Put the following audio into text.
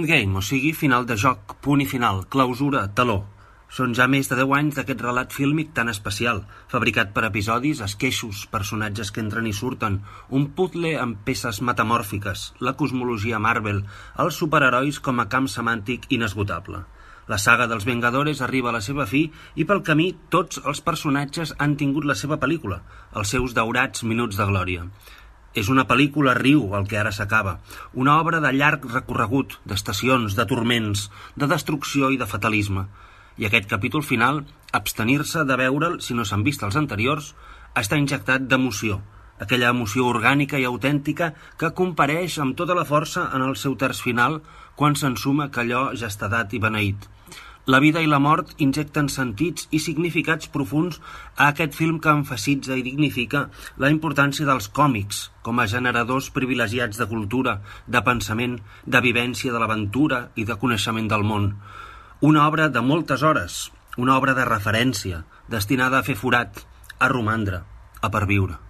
Endgame, o sigui, final de joc, punt i final, clausura, taló. Són ja més de 10 anys d'aquest relat fílmic tan especial, fabricat per episodis, esqueixos, personatges que entren i surten, un puzzle amb peces metamòrfiques, la cosmologia Marvel, els superherois com a camp semàntic inesgotable. La saga dels Vengadores arriba a la seva fi i pel camí tots els personatges han tingut la seva pel·lícula, els seus daurats minuts de glòria. És una pel·lícula riu el que ara s'acaba, una obra de llarg recorregut, d'estacions, de turments, de destrucció i de fatalisme. I aquest capítol final, abstenir-se de veure'l si no s'han vist els anteriors, està injectat d'emoció, aquella emoció orgànica i autèntica que compareix amb tota la força en el seu terç final quan s'ensuma que allò ja està dat i beneït. La vida i la mort injecten sentits i significats profunds a aquest film que emfasitza i dignifica la importància dels còmics com a generadors privilegiats de cultura, de pensament, de vivència de l'aventura i de coneixement del món. Una obra de moltes hores, una obra de referència, destinada a fer forat, a romandre, a perviure.